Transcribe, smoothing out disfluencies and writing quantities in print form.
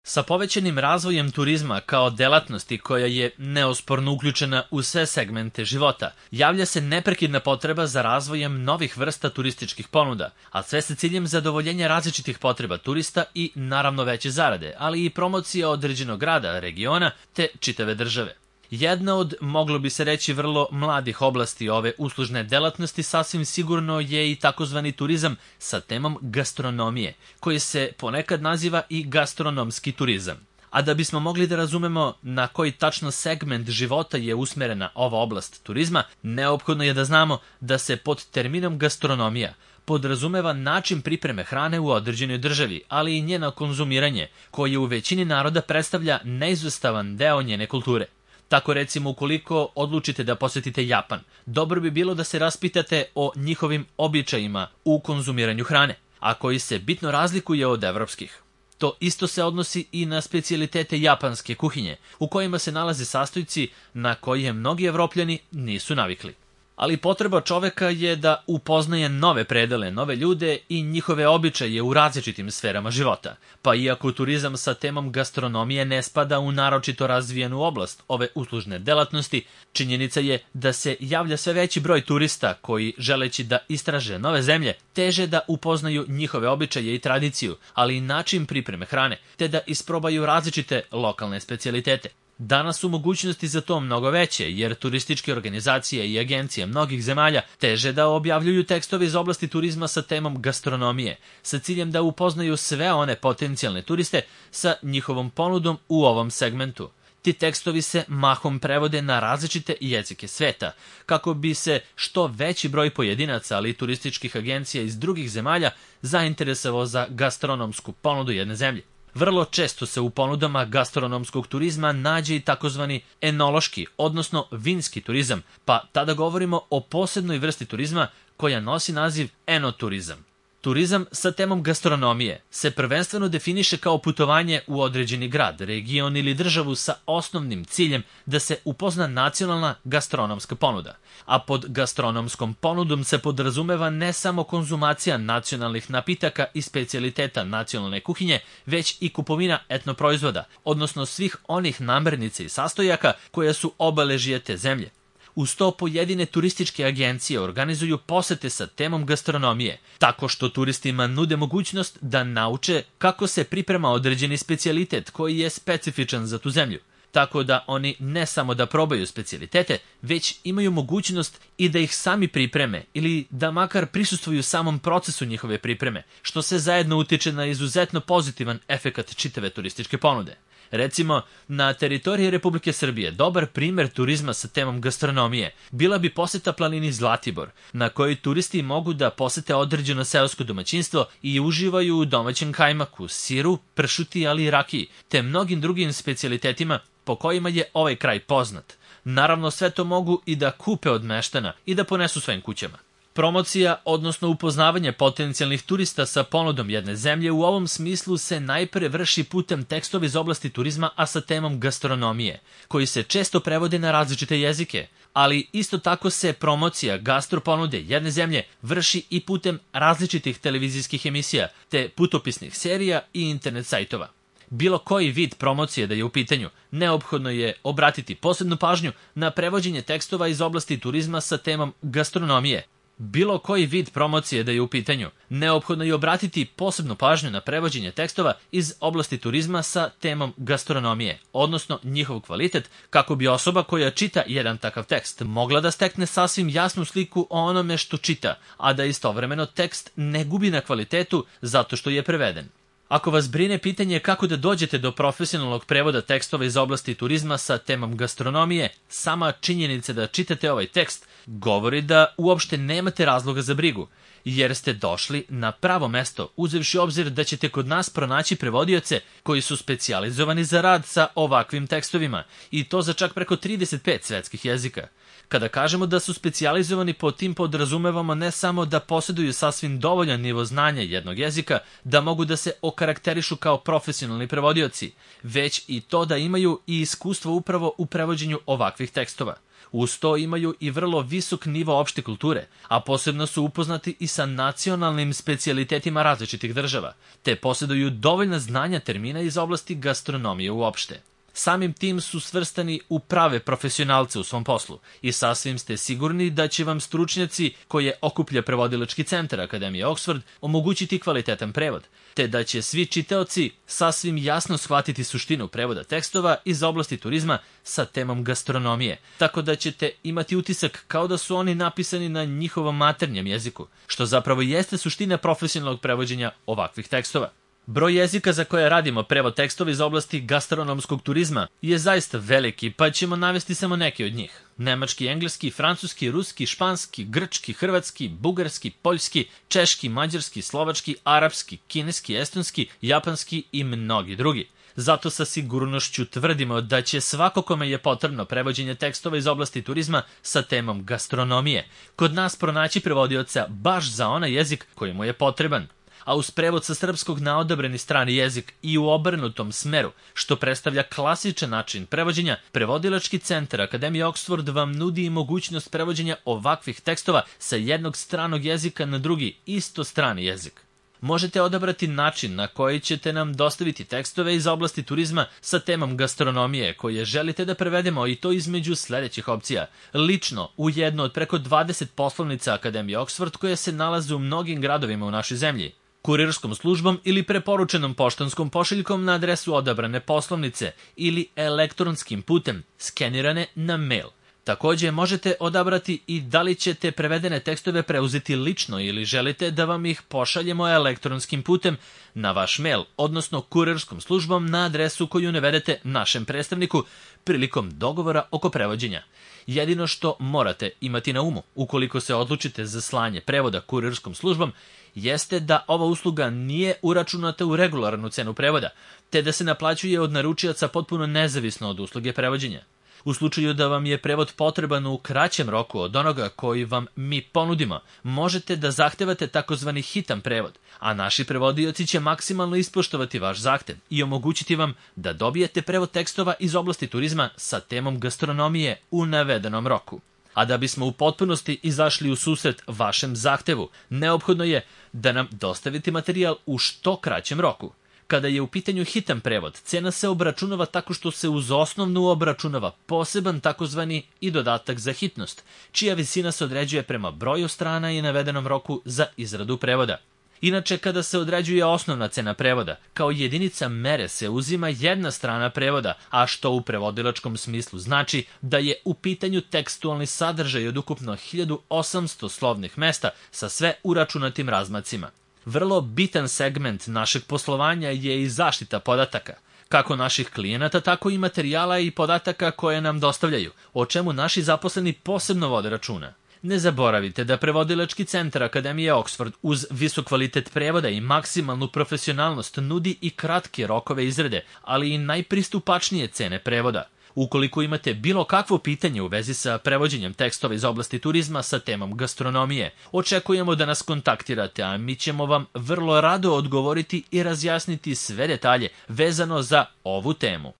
Sa povećanim razvojem turizma kao delatnosti koja je neosporno uključena u sve segmente života, javlja se neprekidna potreba za razvojem novih vrsta turističkih ponuda, a sve sa ciljem zadovoljenja različitih potreba turista i naravno veće zarade, ali i promocija određenog grada, regiona te čitave države. Jedna od, moglo bi se reći, vrlo mladih oblasti ove uslužne delatnosti sasvim sigurno je i takozvani turizam sa temom gastronomije, koji se ponekad naziva i gastronomski turizam. A da bismo mogli da razumemo na koji tačno segment života je usmerena ova oblast turizma, neophodno je da znamo da se pod terminom gastronomija podrazumeva način pripreme hrane u određenoj državi, ali i njeno konzumiranje, koje u većini naroda predstavlja neizostavan deo njene kulture. Tako recimo, ukoliko odlučite da posetite Japan, dobro bi bilo da se raspitate o njihovim običajima u konzumiranju hrane, a koji se bitno razlikuje od evropskih. To isto se odnosi i na specijalitete japanske kuhinje, u kojima se nalaze sastojci na koje mnogi Evropljani nisu navikli. Ali potreba čoveka je da upoznaje nove predele, nove ljude i njihove običaje u različitim sferama života. Pa iako turizam sa temom gastronomije ne spada u naročito razvijenu oblast ove uslužne delatnosti, činjenica je da se javlja sve veći broj turista koji, želeći da istraže nove zemlje, teže da upoznaju njihove običaje i tradiciju, ali i način pripreme hrane, te da isprobaju različite lokalne specijalitete. Danas su mogućnosti za to mnogo veće, jer turističke organizacije i agencije mnogih zemalja teže da objavljuju tekstove iz oblasti turizma sa temom gastronomije, sa ciljem da upoznaju sve one potencijalne turiste sa njihovom ponudom u ovom segmentu. Ti tekstovi se mahom prevode na različite jezike sveta, kako bi se što veći broj pojedinaca, ali i turističkih agencija iz drugih zemalja zainteresovao za gastronomsku ponudu jedne zemlje. Vrlo često se u ponudama gastronomskog turizma nađe i takozvani enološki, odnosno vinski turizam, pa tada govorimo o posebnoj vrsti turizma koja nosi naziv enoturizam. Turizam sa temom gastronomije se prvenstveno definiše kao putovanje u određeni grad, region ili državu sa osnovnim ciljem da se upozna nacionalna gastronomska ponuda. A pod gastronomskom ponudom se podrazumeva ne samo konzumacija nacionalnih napitaka i specijaliteta nacionalne kuhinje, već i kupovina etnoproizvoda, odnosno svih onih namirnica i sastojaka koja su obeležje te zemlje. Uz to pojedine turističke agencije organizuju posete sa temom gastronomije, tako što turistima nude mogućnost da nauče kako se priprema određeni specijalitet koji je specifičan za tu zemlju. Tako da oni ne samo da probaju specijalitete, već imaju mogućnost i da ih sami pripreme ili da makar prisustvuju samom procesu njihove pripreme, što se zajedno utiče na izuzetno pozitivan efekat čitave turističke ponude. Recimo, na teritoriji Republike Srbije dobar primer turizma sa temom gastronomije bila bi poseta planini Zlatibor, na kojoj turisti mogu da posete određeno seosko domaćinstvo i uživaju u domaćem kajmaku, siru, pršuti, ali i rakiji, te mnogim drugim specijalitetima po kojima je ovaj kraj poznat. Naravno, sve to mogu i da kupe od meštana i da ponesu svojim kućama. Promocija, odnosno upoznavanje potencijalnih turista sa ponudom jedne zemlje u ovom smislu se najpre vrši putem tekstova iz oblasti turizma, a sa temom gastronomije, koji se često prevode na različite jezike, ali isto tako se promocija gastroponude jedne zemlje vrši i putem različitih televizijskih emisija, te putopisnih serija i internet sajtova. Bilo koji vid promocije da je u pitanju, neophodno je obratiti posebnu pažnju na prevođenje tekstova iz oblasti turizma sa temom gastronomije. Bilo koji vid promocije da je u pitanju, neophodno je obratiti posebnu pažnju na prevođenje tekstova iz oblasti turizma sa temom gastronomije, odnosno njihov kvalitet, kako bi osoba koja čita jedan takav tekst mogla da stekne sasvim jasnu sliku o onome što čita, a da istovremeno tekst ne gubi na kvalitetu zato što je preveden. Ako vas brine pitanje kako da dođete do profesionalnog prevoda tekstova iz oblasti turizma sa temom gastronomije, sama činjenica da čitate ovaj tekst govori da uopšte nemate razloga za brigu, jer ste došli na pravo mesto, uzevši obzir da ćete kod nas pronaći prevodioce koji su specijalizovani za rad sa ovakvim tekstovima, i to za čak preko 35 svetskih jezika. Kada kažemo da su specijalizovani, pod tim podrazumevamo ne samo da posjeduju sasvim dovoljan nivo znanja jednog jezika, da mogu da se okarakterišu kao profesionalni prevodioci, već i to da imaju i iskustvo upravo u prevođenju ovakvih tekstova. Uz to imaju i vrlo visok nivo opšte kulture, a posebno su upoznati i sa nacionalnim specijalitetima različitih država, te posjeduju dovoljna znanja termina iz oblasti gastronomije uopšte. Samim tim su svrstani u prave profesionalce u svom poslu i sasvim ste sigurni da će vam stručnjaci koje okuplja Prevodilački centar Akademije Oxford omogućiti kvalitetan prevod, te da će svi čitaoci sasvim jasno shvatiti suštinu prevoda tekstova iz oblasti turizma sa temom gastronomije, tako da ćete imati utisak kao da su oni napisani na njihovom maternjem jeziku, što zapravo jeste suština profesionalnog prevođenja ovakvih tekstova. Broj jezika za koje radimo prevod tekstova iz oblasti gastronomskog turizma je zaista veliki, pa ćemo navesti samo neke od njih. Nemački, engleski, francuski, ruski, španski, grčki, hrvatski, bugarski, poljski, češki, mađarski, slovački, arapski, kineski, estonski, japanski i mnogi drugi. Zato sa sigurnošću tvrdimo da će svako kome je potrebno prevođenje tekstova iz oblasti turizma sa temom gastronomije kod nas pronaći prevodioca baš za onaj jezik koji mu je potreban. A uz prevod sa srpskog na odabrani strani jezik i u obrnutom smeru, što predstavlja klasičan način prevođenja, Prevodilački centar Akademije Oxford vam nudi i mogućnost prevođenja ovakvih tekstova sa jednog stranog jezika na drugi isto strani jezik. Možete odabrati način na koji ćete nam dostaviti tekstove iz oblasti turizma sa temom gastronomije koje želite da prevedemo, i to između sledećih opcija. Lično u jednu od preko 20 poslovnica Akademije Oxford koje se nalaze u mnogim gradovima u našoj zemlji, kurirskom službom ili preporučenom poštanskom pošiljkom na adresu odabrane poslovnice ili elektronskim putem skenirane na mail. Takođe možete odabrati i da li ćete prevedene tekstove preuzeti lično ili želite da vam ih pošaljemo elektronskim putem na vaš mail, odnosno kurirskom službom na adresu koju navedete našem predstavniku prilikom dogovora oko prevođenja. Jedino što morate imati na umu ukoliko se odlučite za slanje prevoda kurirskom službom jeste da ova usluga nije uračunata u regularnu cenu prevoda, te da se naplaćuje od naručioca potpuno nezavisno od usluge prevođenja. U slučaju da vam je prevod potreban u kraćem roku od onoga koji vam mi ponudimo, možete da zahtevate takozvani hitan prevod, a naši prevodioci će maksimalno ispoštovati vaš zahtev i omogućiti vam da dobijete prevod tekstova iz oblasti turizma sa temom gastronomije u navedenom roku. A da bismo u potpunosti izašli u susret vašem zahtevu, neophodno je da nam dostavite materijal u što kraćem roku. Kada je u pitanju hitan prevod, cena se obračunava tako što se uz osnovnu obračunava poseban takozvani i dodatak za hitnost, čija visina se određuje prema broju strana i navedenom roku za izradu prevoda. Inače, kada se određuje osnovna cena prevoda, kao jedinica mere se uzima jedna strana prevoda, a što u prevodilačkom smislu znači da je u pitanju tekstualni sadržaj od ukupno 1800 slovnih mesta sa sve uračunatim razmacima. Vrlo bitan segment našeg poslovanja je i zaštita podataka, kako naših klijenata, tako i materijala i podataka koje nam dostavljaju, o čemu naši zaposleni posebno vode računa. Ne zaboravite da Prevodilački centar Akademije Oxford uz visok kvalitet prevoda i maksimalnu profesionalnost nudi i kratke rokove izrade, ali i najpristupačnije cene prevoda. Ukoliko imate bilo kakvo pitanje u vezi sa prevođenjem tekstova iz oblasti turizma sa temom gastronomije, očekujemo da nas kontaktirate, a mi ćemo vam vrlo rado odgovoriti i razjasniti sve detalje vezano za ovu temu.